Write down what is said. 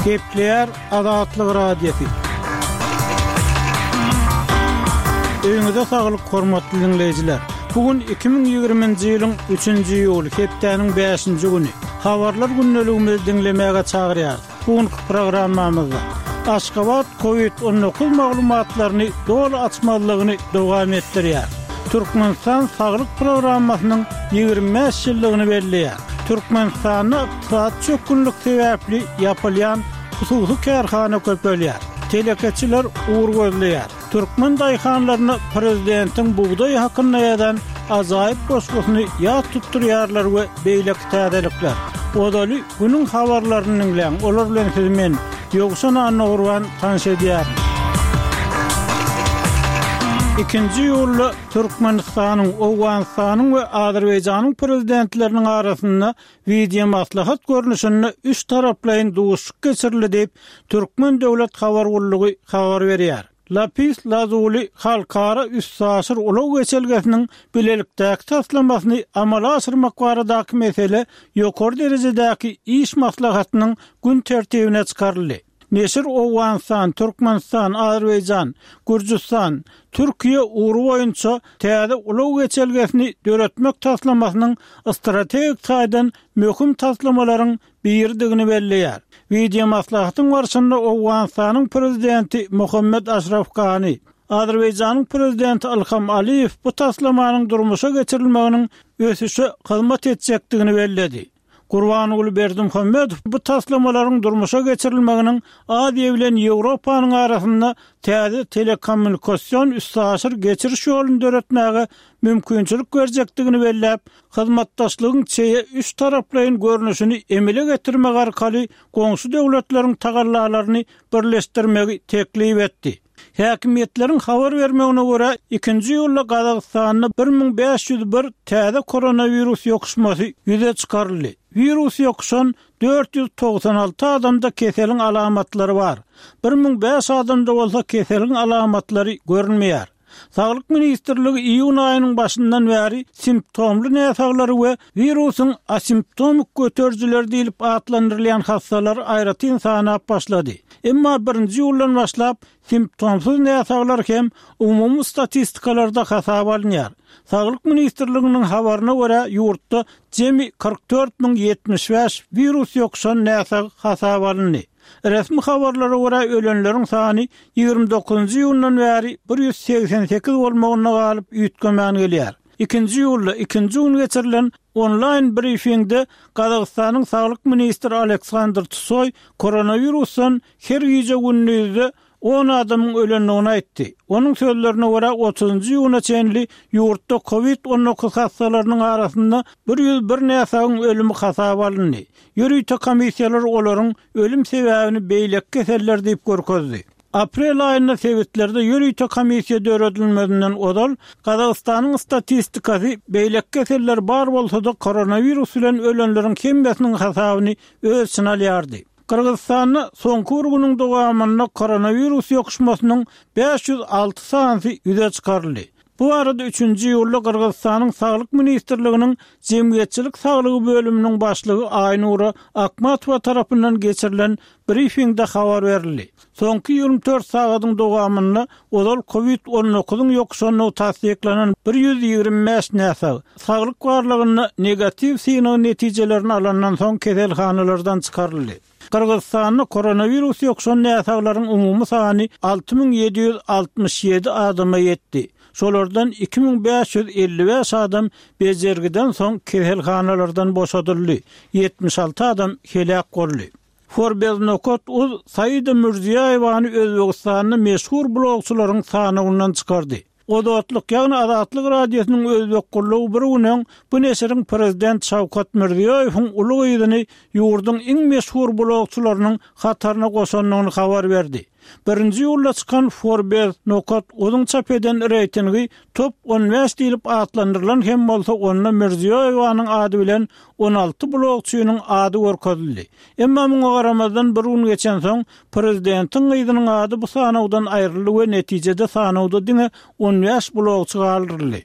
Gepleýär Azatlyk Radiosy. Öýüňize saglyk hormatly diňleýjiler. Bu gün 2020-nji ýylyň 3-nji iýuly, hepdäniň 5-nji güni. Habarlar gündeligimizi diňlemäge çagyrýarys. Bu günki programmamyzda Aşgabat Covid 19 maglumatlaryny doly açmazlygyny dowam etdirýär. Türkmenistan saglyk programmasynyň 25 ýyllygyny belleýär. Türkmenistanda ykdysady çökgünlik sebäpli ýapylýan hususy kärhana köpelýär. Telekeçiler ugur gözleýär. Türkmen daýhanlaryna prezidentiň bugdaý hakynda ýazan ajaýyp goşgusyny ýat tutdurýarlar we beýleki täzelikler. Ozaly günüň habarlaryny diňläň, olar bilen sizi men, Ýowşan Annagurban tanyş edýärin. Ikinji iýulda Türkmenistanyň, Owganystanyň we Azerbaýjanyň Prezidentleriniň arasynda wideomaslahat görnüşinde üç taraplaýyn duşuşyk geçirildi diýip, Türkmen döwlet habar gullugy habar berýär. Lapis Lazuli halkara üstaşyr ulag geçelgesiniň bilelikdäki taslamasyny amala aşyrmak baradaky mesele ýokary derejedäki iş maslahatynyň gün tertibine çykaryldy. Neşir Owganystan, Türkmenistan, Azerbaýjan, Gürjüstan, Türkiýe ugry boýunça täze ulag geçelgesini döretmek taslamasynyň strategik taýdan möhüm taslamalaryň biridigini belleýär. Wideomaslahatyň barşynda Owganystanyň Prezidenti Mohammed Aşraf Gani, Azerbaýjanyň Prezidenti Ilham Aliýew bu taslamanyň durmuşa geçirilmeginiň ösüşe hyzmat etjekdigini belledi. Gurbanguly Berdimuhamedow bu taslamalaryň durmuşa geçirilmeginiň Aziýa bilen Ýewropanyň arasynda täze telekommunikasion üstaşyr geçiriş ýoluny döretmäge mümkinçilik berjekdigini belläp, hyzmatdaşlygyň çeýe üç taraplaýyn görnüşini emele getirmek arkaly goňşy döwletleriň tagallalaryny birleşdirmegi teklip etdi. Häkimiýetleriň habar bermegine görä, ikinji iýulda Gazagystanda 1501 täze koronawirus ýokuşmasy ýüze çykaryldy. Wirus ýokuşan 496 adamda keseliň alamatlary bar. 1005 adamda bolsa keseliň alamatlary görünmeýär. Saglyk ministrligi iýun aýynyň başyndan bäri simptomly näsaglary we wirusyň asimptomik göterijileri diýlip atlandyrylýan hassalary aýratyn sanap başlady. Emma birinji iýuldan başlap simptomsyz näsaglar hem umumy statistikalarda hasaba alynýar. Saglyk ministrliginiň habaryna görä, ýurtda jemi 44 075 wirus ýokuşan näsag hasaba alyndy. Resmi habarlara görä, ölenleriň sany 29-njy iýundan bäri 188 bolmagynda galyp, üýtgemän gelýär. Ikinji iýulda ikinji gün geçirilen onlaýn brifingde Gazagystanyň saglyk ministri Aleksandr Tsoý koronawirusdan her gije-gündizde on adamyň ölendigini aýtdy. Onuň sözlerine görä, otuzynjy iýuna çenli ýurtda kowid 19 hassalarynyň arasynda 101 näsagyň ölümi hasaba alyndy. Ýörite komissiýalar olaryň ölüm sebäbini beýleki keseller diýip görkezdi. Aprel aýynda sebitlerde ýörite komissiýa döredilmezinden ozal, Gazagystanyň statistikasy beýleki keseller bar bolsa-da koronawirus bilen ölenleriň hemmesiniň hasabyny öz içine alýardy. Gyrgyzystanda soňky bir günüň dowamynda koronawirus ýokuşmasynyň 506 sanysy ýüze çykaryldy. Bu barada üçünji iýulda Gyrgyzystanyň Saglyk ministrliginiň Jemgyýetçilik saglygy bölüminiň başlygy Aýnura Akmatowa tarapyndan geçirilen brifingde habar berildi. Soňky 24 sagadyň dowamynda ozal kowid 19-yň ýokuşandygy tassyklanan 125 näsag, saglyk barlagynda negatiw synag netijelerini alandan soň keselhanalardan çykaryldy. Gyrgyzystanda koronawirus ýokuşan näsaglaryň umumy sany 6767 adama ýetdi. Şolardan 2555 adam bejergiden soň keselhanalardan boşadyldy, 76 adam heläk boldy. Forbes nokat uz Saida Mirziýoýewany Özbegistanda meşhur blogçylaryň sanawyndan çykardy. Ozodlyk, ýagny Azatlyk Radiosynyň özbek gullugy bir gün öň bu neşiriň prezident Şawkat Mirziýoýewiň uly gyzyny ýurduň iň meşhur blogçylarynyň hataryna goşandygyny habar berdi. Birinji iýulda çykan Forbes nokat uzuň çap eden reýtingi Top 15 diýlip atlandyrylan hem bolsa onda Mirziýoýewanyň ady bilen 16 blogçynyň ady görkezildi. Emma muňa garamazdan bir gün geçensoň prezidentiň gyzynyň ady bu sanawdan aýryldy we netijede sanawda diňe 15 blogçy galdyryldy.